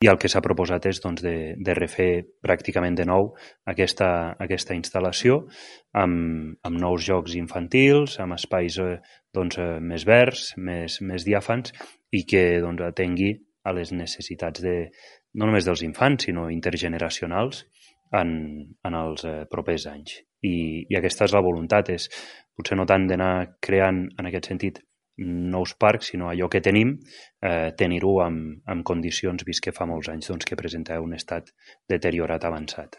i el que s'ha proposat és de refer pràcticament de nou aquesta instal·lació amb nous jocs infantils, amb espais més verds, més diàfans i que atengui a les necessitats no només dels infants, sinó intergeneracionals en els propers anys. I aquesta és la voluntat, és potser no tant d'anar creant en aquest sentit nous parcs, sinó allò que tenim, tenir-ho en condicions, vist que fa molts anys que presenta un estat deteriorat avançat.